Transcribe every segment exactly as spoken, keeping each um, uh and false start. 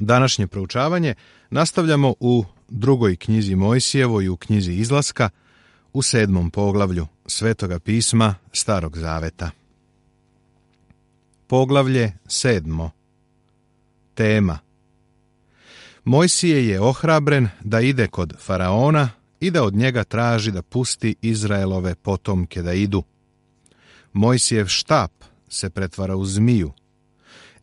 Današnje proučavanje nastavljamo u drugoj knjizi Mojsijevoj, u knjizi Izlaska, u sedmom poglavlju Svetoga pisma Starog zaveta. Poglavlje sedmo. Tema. Mojsije je ohrabren da ide kod faraona i da od njega traži da pusti Izraelove potomke da idu. Mojsijev štap se pretvara u zmiju.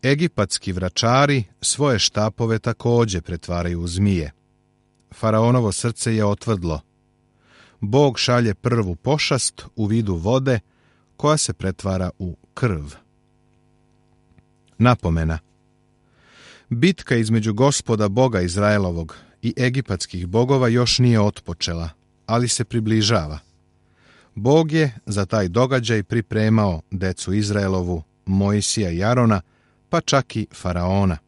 Egipatski vračari svoje štapove također pretvaraju u zmije. Faraonovo srce je otvrdlo. Bog šalje prvu pošast u vidu vode koja se pretvara u krv. Napomena. Bitka između Gospoda Boga Izraelovog i egipatskih bogova još nije otpočela, ali se približava. Bog je za taj događaj pripremao decu Izraelovu, Mojsija i Arona, pa čak i faraona.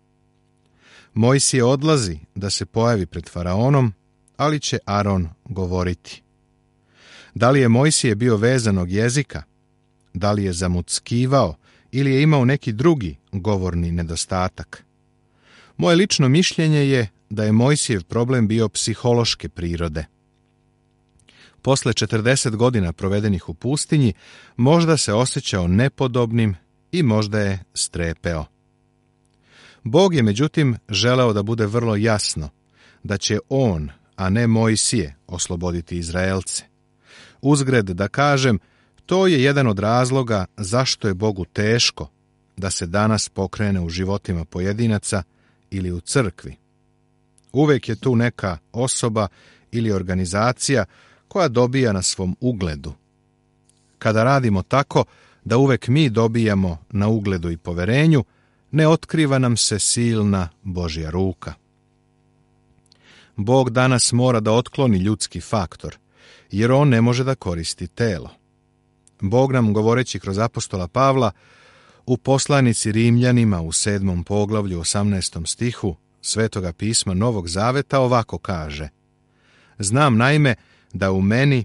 Mojsije odlazi da se pojavi pred faraonom, ali će Aron govoriti. Da li je Mojsije bio vezanog jezika? Da li je zamuckivao ili je imao neki drugi govorni nedostatak? Moje lično mišljenje je da je Mojsijev problem bio psihološke prirode. Posle četrdeset godina provedenih u pustinji, možda se osjećao nepodobnim i možda je strepeo. Bog je međutim želeo da bude vrlo jasno da će on, a ne Mojsije, osloboditi Izraelce. Uzgred da kažem, to je jedan od razloga zašto je Bogu teško da se danas pokrene u životima pojedinaca ili u crkvi. Uvijek je tu neka osoba ili organizacija koja dobija na svom ugledu. Kada radimo tako da uvijek mi dobijamo na ugledu i poverenju, ne otkriva nam se silna Božja ruka. Bog danas mora da otkloni ljudski faktor, jer on ne može da koristi telo. Bog nam, govoreći kroz apostola Pavla, u poslanici Rimljanima u sedmom poglavlju osamnaestom stihu Svetoga pisma Novog zaveta ovako kaže: Znam naime da u meni,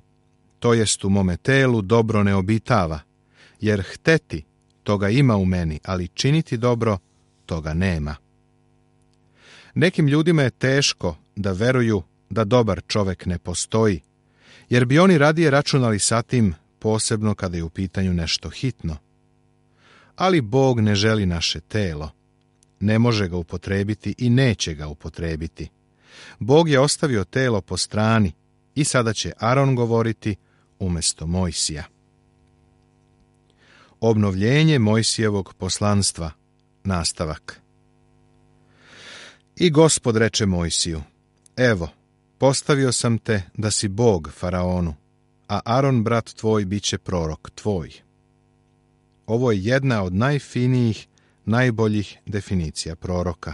to jest u mome telu, dobro ne obitava, jer hteti toga ima u meni, ali činiti dobro toga nema. Nekim ljudima je teško da veruju da dobar čovek ne postoji, jer bi oni radije računali sa tim, posebno kada je u pitanju nešto hitno. Ali Bog ne želi naše telo. Ne može ga upotrebiti i neće ga upotrebiti. Bog je ostavio telo po strani i sada će Aron govoriti umjesto Mojsija. Obnovljenje Mojsijevog poslanstva. Nastavak. I Gospod reče Mojsiju: Evo, postavio sam te da si Bog faraonu, a Aron brat tvoj bit će prorok tvoj. Ovo je jedna od najfinijih, najboljih definicija proroka.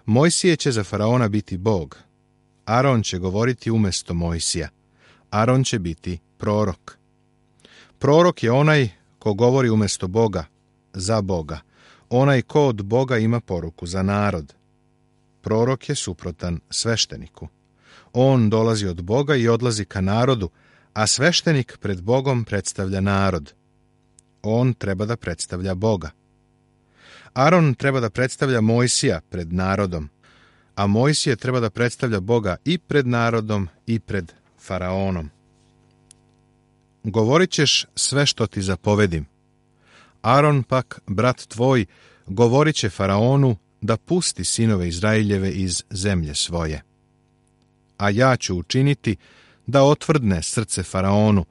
Mojsije će za faraona biti Bog. Aron će govoriti umjesto Mojsija. Aron će biti prorok. Prorok je onaj ko govori umjesto Boga, za Boga. Onaj ko od Boga ima poruku za narod. Prorok je suprotan svešteniku. On dolazi od Boga i odlazi ka narodu, a sveštenik pred Bogom predstavlja narod. On treba da predstavlja Boga. Aron treba da predstavlja Mojsija pred narodom, a Mojsije treba da predstavlja Boga i pred narodom i pred faraonom. Govorit ćeš sve što ti zapovedim. Aron pak, brat tvoj, govorit će faraonu da pusti sinove Izraeljeve iz zemlje svoje. A ja ću učiniti da otvrdne srce faraonu,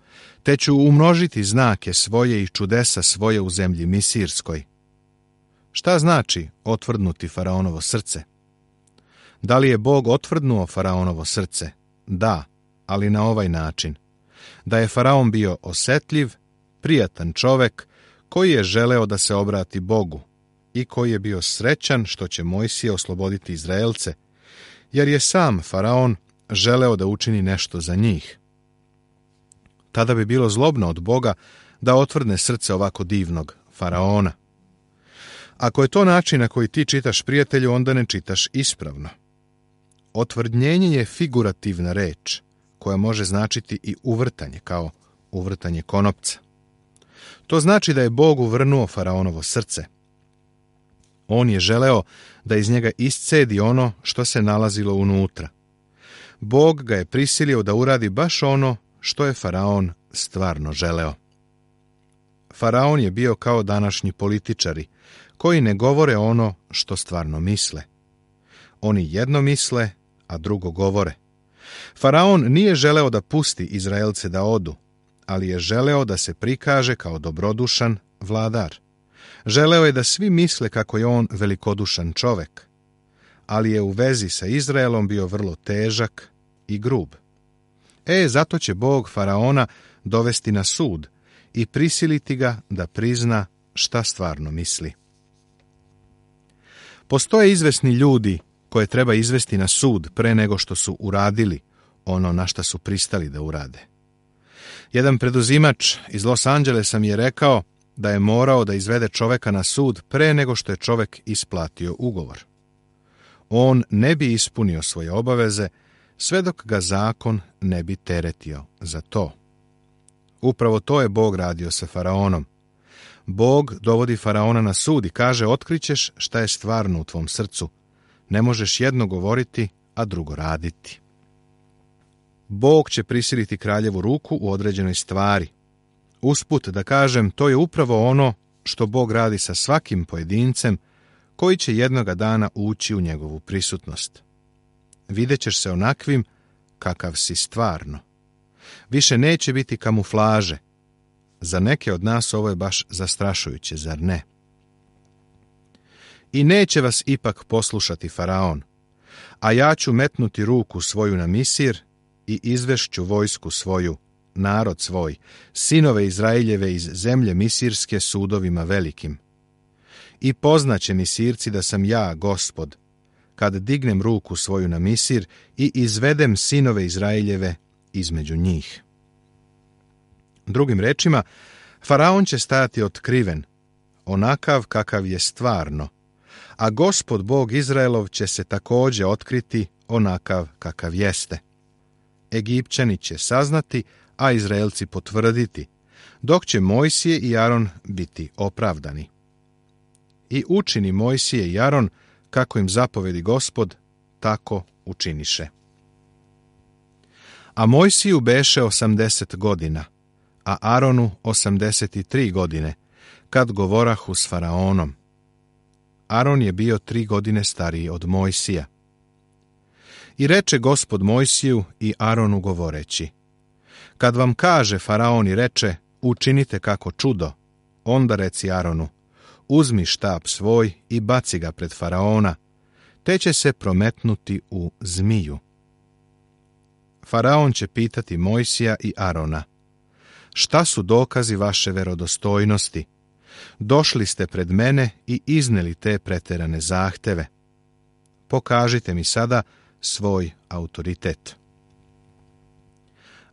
te ću umnožiti znake svoje i čudesa svoje u zemlji Misirskoj. Šta znači otvrdnuti faraonovo srce? Da li je Bog otvrdnuo faraonovo srce? Da, ali na ovaj način. Da je faraon bio osetljiv, prijatan čovek koji je želeo da se obrati Bogu i koji je bio srećan što će Mojsije osloboditi Izraelce, jer je sam faraon želeo da učini nešto za njih. Tada bi bilo zlobno od Boga da otvrdne srce ovako divnog faraona. Ako je to način na koji ti čitaš, prijatelju, onda ne čitaš ispravno. Otvrdnjenje je figurativna reč, koja može značiti i uvrtanje, kao uvrtanje konopca. To znači da je Bog uvrnuo faraonovo srce. On je želeo da iz njega iscedi ono što se nalazilo unutra. Bog ga je prisilio da uradi baš ono što je faraon stvarno želeo. Faraon je bio kao današnji političari, koji ne govore ono što stvarno misle. Oni jedno misle, a drugo govore. Faraon nije želeo da pusti Izraelce da odu, ali je želeo da se prikaže kao dobrodušan vladar. Želeo je da svi misle kako je on velikodušan čovek, ali je u vezi sa Izraelom bio vrlo težak i grub. E, zato će Bog faraona dovesti na sud i prisiliti ga da prizna šta stvarno misli. Postoje izvesni ljudi koje treba izvesti na sud pre nego što su uradili ono na šta su pristali da urade. Jedan preduzimač iz Los Angelesa mi je rekao da je morao da izvede čoveka na sud pre nego što je čovek isplatio ugovor. On ne bi ispunio svoje obaveze sve dok ga zakon ne bi teretio za to. Upravo to je Bog radio sa faraonom. Bog dovodi faraona na sud i kaže: otkrićeš šta je stvarno u tvom srcu. Ne možeš jedno govoriti, a drugo raditi. Bog će prisiliti kraljevu ruku u određenoj stvari. Usput da kažem, to je upravo ono što Bog radi sa svakim pojedincem koji će jednoga dana ući u njegovu prisutnost. Vidjet ćeš se onakvim kakav si stvarno. Više neće biti kamuflaže. Za neke od nas ovo je baš zastrašujuće, zar ne? I neće vas ipak poslušati faraon, a ja ću metnuti ruku svoju na Misir i izvešću vojsku svoju, narod svoj, sinove Izraeljeve iz zemlje misirske sudovima velikim. I poznaće Misirci da sam ja, Gospod, kad dignem ruku svoju na Misir i izvedem sinove Izraeljeve između njih. Drugim rečima, faraon će stajati otkriven, onakav kakav je stvarno, a Gospod Bog Izraelov će se također otkriti onakav kakav jeste. Egipćani će saznati, a Izraelci potvrditi, dok će Mojsije i Aron biti opravdani. I učini Mojsije i Aron, kako im zapovedi Gospod, tako učiniše. A Mojsiju beše osamdeset godina, a Aronu osamdeset tri godine, kad govorahu s faraonom. Aron je bio tri godine stariji od Mojsija. I reče Gospod Mojsiju i Aronu govoreći: kad vam kaže faraon i reče: učinite kako čudo, onda reci Aronu: uzmi štap svoj i baci ga pred faraona, te će se prometnuti u zmiju. Faraon će pitati Mojsija i Arona: šta su dokazi vaše verodostojnosti? Došli ste pred mene i izneli te preterane zahteve. Pokažite mi sada svoj autoritet.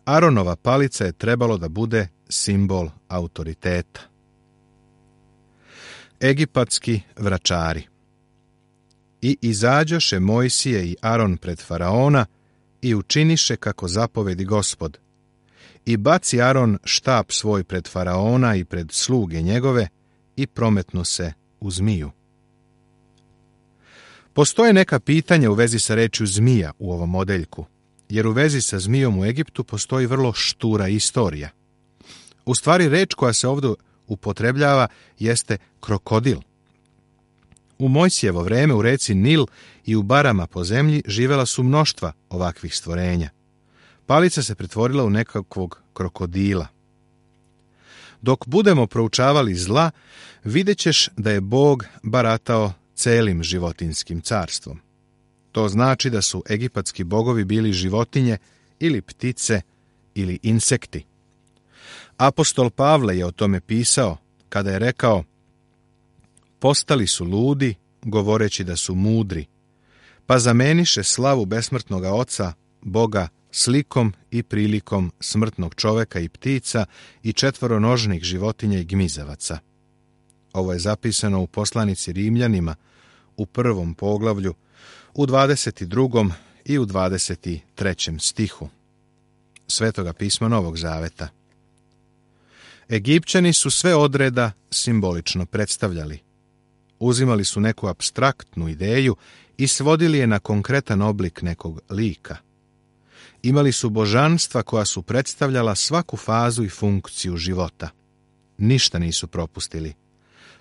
Aronova palica je trebalo da bude simbol autoriteta. Egipatski vračari. I izađoše Mojsije i Aron pred faraona i učiniše kako zapovedi Gospod. I baci Aron štap svoj pred faraona i pred sluge njegove i prometnu se u zmiju. Postoje neka pitanja u vezi sa rečju zmija u ovom odeljku, jer u vezi sa zmijom u Egiptu postoji vrlo štura istorija. U stvari, reč koja se ovdje upotrebljava jeste krokodil. U Mojsijevo vreme u reci Nil i u barama po zemlji živela su mnoštva ovakvih stvorenja. Palica se pretvorila u nekakvog krokodila. Dok budemo proučavali zla, vidjet ćeš da je Bog baratao celim životinskim carstvom. To znači da su egipatski bogovi bili životinje ili ptice ili insekti. Apostol Pavle je o tome pisao kada je rekao: postali su ludi, govoreći da su mudri, pa zameniše slavu besmrtnoga Oca, Boga, slikom i prilikom smrtnog čoveka i ptica i četvoronožnih životinja i gmizavaca. Ovo je zapisano u poslanici Rimljanima u prvom poglavlju, u dvadeset drugom i u dvadeset trećem stihu Svetoga pisma Novog Zaveta. Egipćani su sve odreda simbolično predstavljali. Uzimali su neku apstraktnu ideju i svodili je na konkretan oblik nekog lika. Imali su božanstva koja su predstavljala svaku fazu i funkciju života. Ništa nisu propustili.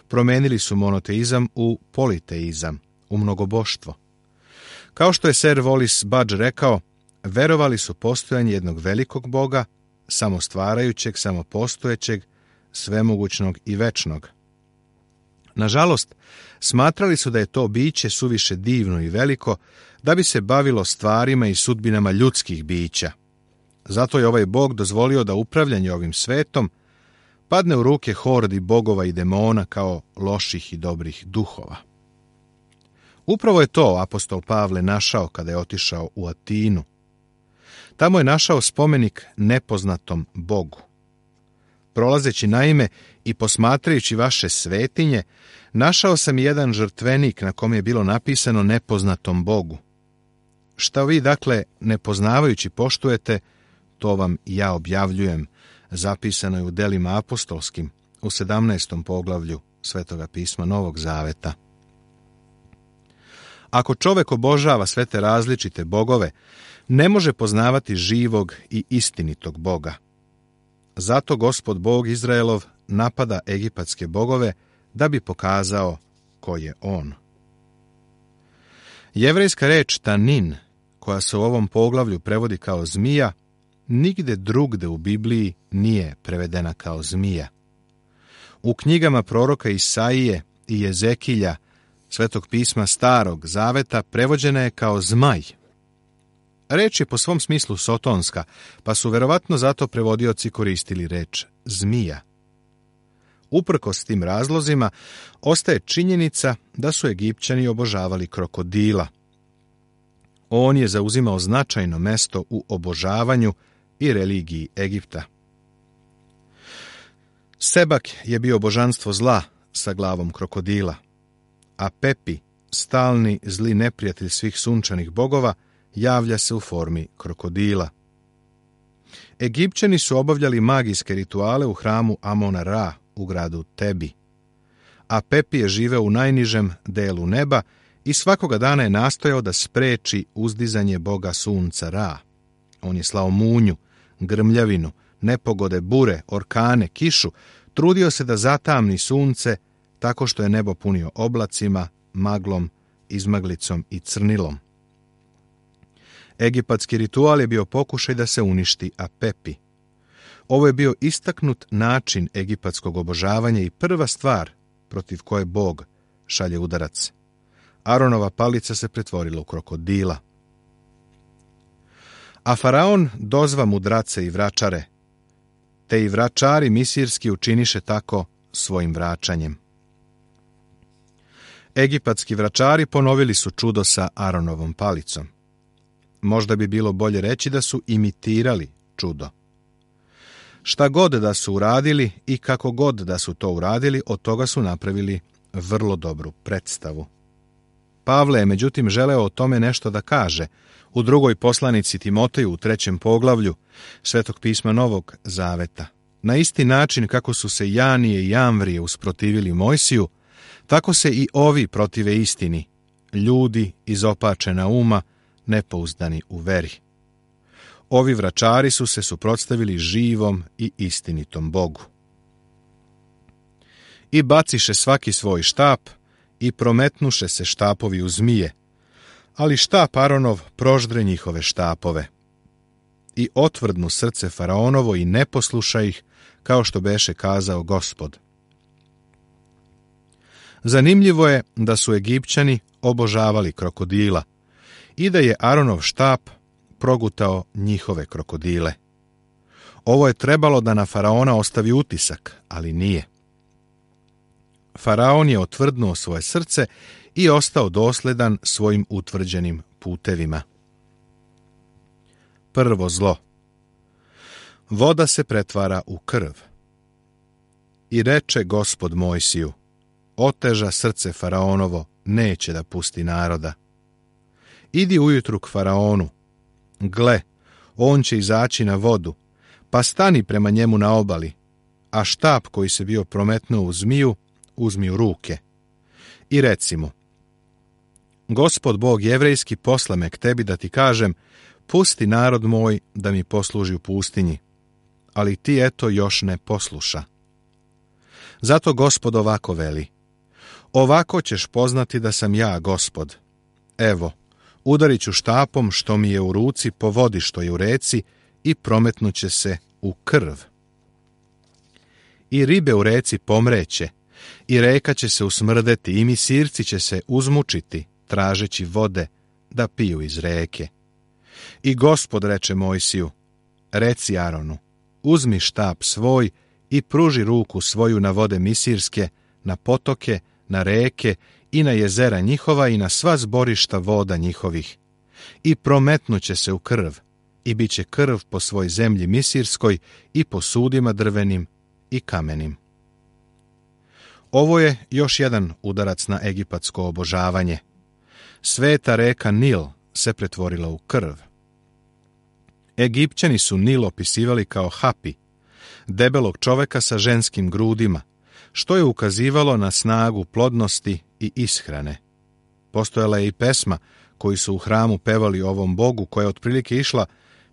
Promenili su monoteizam u politeizam, u mnogoboštvo. Kao što je Sir Wallis Budge rekao, verovali su postojanje jednog velikog Boga, samostvarajućeg, samopostojećeg, svemogućnog i večnog. Nažalost, smatrali su da je to biće suviše divno i veliko da bi se bavilo stvarima i sudbinama ljudskih bića. Zato je ovaj Bog dozvolio da upravljanje ovim svetom padne u ruke hordi bogova i demona kao loših i dobrih duhova. Upravo je to apostol Pavle našao kada je otišao u Atinu. Tamo je našao spomenik nepoznatom Bogu. Prolazeći naime i posmatrajući vaše svetinje, našao sam jedan žrtvenik na kom je bilo napisano nepoznatom Bogu. Šta vi, dakle, nepoznavajući poštujete, to vam ja objavljujem, zapisano je u delima apostolskim, u sedamnaestom poglavlju Svetoga pisma Novog Zaveta. Ako čovek obožava sve te različite bogove, ne može poznavati živog i istinitog Boga. Zato Gospod Bog Izraelov napada egipatske bogove da bi pokazao ko je on. Jevrejska reč tanin, koja se u ovom poglavlju prevodi kao zmija, nigde drugde u Bibliji nije prevedena kao zmija. U knjigama proroka Isaije i Jezekilja, Svetog pisma Starog Zaveta, prevođena je kao zmaj. Reč je po svom smislu sotonska, pa su verovatno zato prevodioci koristili reč zmija. Uprkos tim razlozima, ostaje činjenica da su Egipćani obožavali krokodila. On je zauzimao značajno mesto u obožavanju i religiji Egipta. Sebak je bio božanstvo zla sa glavom krokodila, a Pepi, stalni zli neprijatelj svih sunčanih bogova, javlja se u formi krokodila. Egipćani su obavljali magijske rituale u hramu Amona Ra u gradu Tebi, a Pepi je živeo u najnižem delu neba i svakoga dana je nastojao da spreči uzdizanje boga sunca Ra. On je slao munju, grmljavinu, nepogode, bure, orkane, kišu, trudio se da zatamni sunce tako što je nebo punio oblacima, maglom, izmaglicom i crnilom. Egipatski ritual je bio pokušaj da se uništi Apepi. Ovo je bio istaknut način egipatskog obožavanja i prva stvar protiv koje Bog šalje udarac. Aronova palica se pretvorila u krokodila. A faraon dozva mudrace i vračare, te i vračari misirski učiniše tako svojim vraćanjem. Egipatski vračari ponovili su čudo sa Aronovom palicom. Možda bi bilo bolje reći da su imitirali čudo. Šta god da su uradili i kako god da su to uradili, od toga su napravili vrlo dobru predstavu. Pavle je međutim želeo o tome nešto da kaže. U drugoj poslanici Timoteju u trećem poglavlju Svetog pisma Novog Zaveta. Na isti način kako su se Janije i Jamvrije usprotivili Mojsiju, tako se i ovi protive istini, ljudi izopačena uma, nepouzdani u veri. Ovi vračari su se suprotstavili živom i istinitom Bogu. I baciše svaki svoj štap i prometnuše se štapovi u zmije, ali štap Aronov proždre njihove štapove. I otvrdnu srce faraonovo i ne posluša ih, kao što beše kazao Gospod. Zanimljivo je da su Egipćani obožavali krokodila i da je Aronov štap progutao njihove krokodile. Ovo je trebalo da na faraona ostavi utisak, ali nije. Faraon je otvrdnuo svoje srce i ostao dosledan svojim utvrđenim putevima. Prvo zlo. Voda se pretvara u krv. I reče Gospod Mojsiju, oteža srce faraonovo, neće da pusti naroda. Idi ujutru k faraonu. Gle, on će izaći na vodu, pa stani prema njemu na obali, a štap koji se bio prometnuo u zmiju, uzmi u ruke. i reci mu: Gospod Bog jevrejski posla me k tebi da ti kažem, pusti narod moj da mi posluži u pustinji, ali ti eto još ne posluša. Zato Gospod ovako veli: ovako ćeš poznati da sam ja Gospod. Evo, udarit ću štapom što mi je u ruci po vodi što je u reci i prometnuće se u krv. I ribe u reci pomreće, i reka će se usmrdeti, i misirci će se uzmučiti, tražeći vode da piju iz reke. I Gospod reče Mojsiju: reci Aronu, uzmi štap svoj i pruži ruku svoju na vode misirske, na potoke, na reke i na jezera njihova i na sva zborišta voda njihovih. I prometnuće se u krv, i bit će krv po svoj zemlji misirskoj i po sudima drvenim i kamenim. Ovo je još jedan udarac na egipatsko obožavanje. Sveta reka Nil se pretvorila u krv. Egipćani su Nil opisivali kao Hapi, debelog čoveka sa ženskim grudima, što je ukazivalo na snagu plodnosti i ishrane. Postojala je i pesma koju su u hramu pevali ovom bogu, koja je otprilike išla: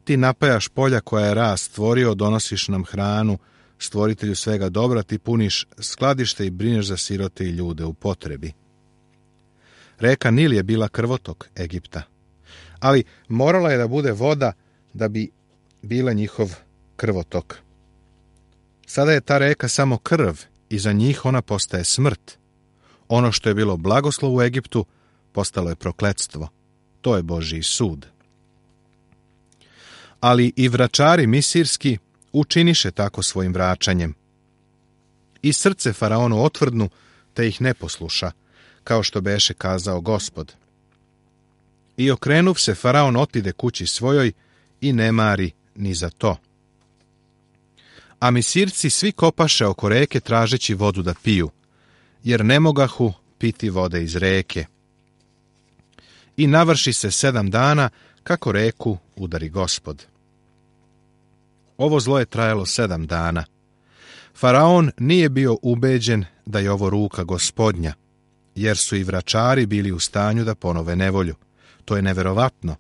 ti napajaš polja koja je rast stvorio, donosiš nam hranu, stvoritelju svega dobra, ti puniš skladište i brineš za sirote i ljude u potrebi. Reka Nil je bila krvotok Egipta, ali morala je da bude voda da bi bila njihov krvotok. Sada je ta reka samo krv i za njih ona postaje smrt. Ono što je bilo blagoslov u Egiptu postalo je prokletstvo. To je Božji sud. Ali i vračari misirski učiniše tako svojim vraćanjem. I srce faraonu otvrdnu, te ih ne posluša, kao što beše kazao Gospod. I okrenuv se, faraon otide kući svojoj i ne mari ni za to. A misirci svi kopaše oko reke tražeći vodu da piju, jer ne mogahu piti vode iz reke. I navrši se sedam dana kako reku udari Gospod. Ovo zlo je trajalo sedam dana. Faraon nije bio ubeđen da je ovo ruka Gospodnja, jer su i vračari bili u stanju da ponove nevolju. To je neverovatno.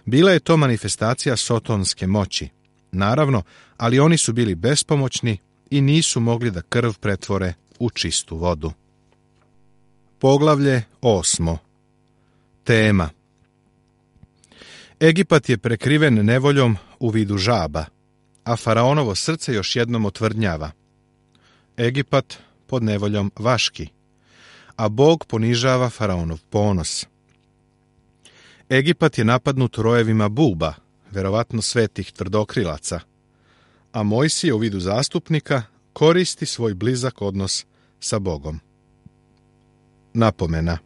Bila je to manifestacija sotonske moći, naravno, ali oni su bili bespomoćni i nisu mogli da krv pretvore u čistu vodu. Poglavlje osmo. Tema. Egipat je prekriven nevoljom u vidu žaba, a faraonovo srce još jednom otvrdnjava. Egipat pod nevoljom vaški, a Bog ponižava faraonov ponos. Egipat je napadnut rojevima buba, verovatno svetih tvrdokrilaca, a Mojsije u vidu zastupnika koristi svoj blizak odnos sa Bogom. Napomena.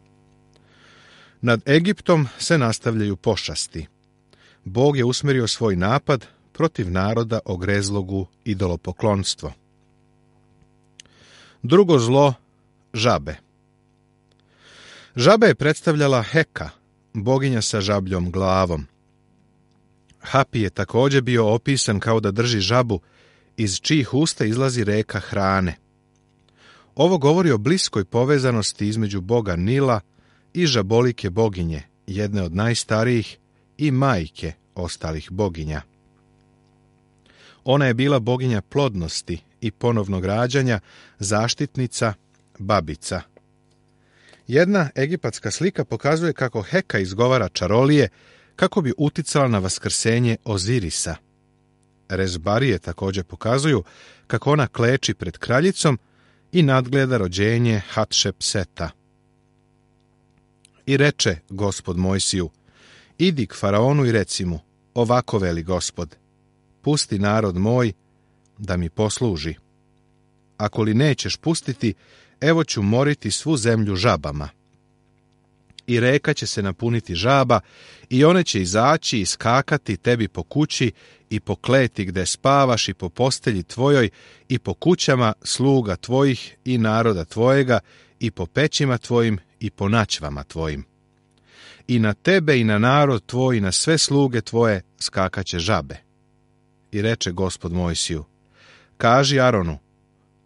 Nad Egiptom se nastavljaju pošasti. Bog je usmjerio svoj napad protiv naroda ogrezlogu idolopoklonstvo. Drugo zlo, žabe. Žaba je predstavljala Heka, boginja sa žabljom glavom. Hapi je također bio opisan kao da drži žabu, iz čijih usta izlazi reka hrane. Ovo govori o bliskoj povezanosti između boga Nila i žabolike boginje, jedne od najstarijih i majke ostalih boginja. Ona je bila boginja plodnosti i ponovnog rađanja, zaštitnica, babica. Jedna egipatska slika pokazuje kako Heka izgovara čarolije kako bi uticala na vaskrsenje Ozirisa. Rezbarije također pokazuju kako ona kleči pred kraljicom i nadgleda rođenje Hatšepseta. I reče Gospod Mojsiju: idi k faraonu i reci mu: ovako veli Gospod, pusti narod moj da mi posluži. Ako li nećeš pustiti, evo ću moriti svu zemlju žabama. I reka će se napuniti žaba i one će izaći i skakati tebi po kući i po kleti gde spavaš i po postelji tvojoj i po kućama sluga tvojih i naroda tvojega i po pećima tvojim i po načvama tvojim. I na tebe i na narod tvoj i na sve sluge tvoje skakaće žabe. I reče Gospod Mojsiju: kaži Aronu,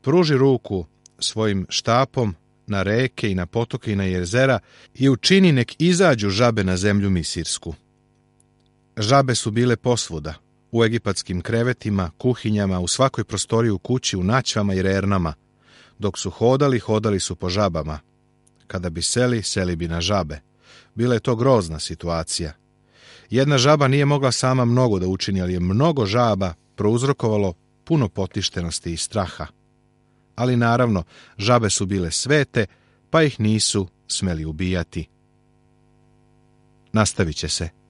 pruži ruku svojim štapom na reke i na potoke i na jezera i učini nek izađu žabe na zemlju misirsku. Žabe su bile posvuda, u egipatskim krevetima, kuhinjama, u svakoj prostoriji u kući, u naćvama i rernama. Dok su hodali, hodali su po žabama. Kada bi seli, seli bi na žabe. Bila je to grozna situacija. Jedna žaba nije mogla sama mnogo da učini, ali je mnogo žaba prouzrokovalo puno potištenosti i straha. Ali naravno, žabe su bile svete, pa ih nisu smeli ubijati. Nastavit će se.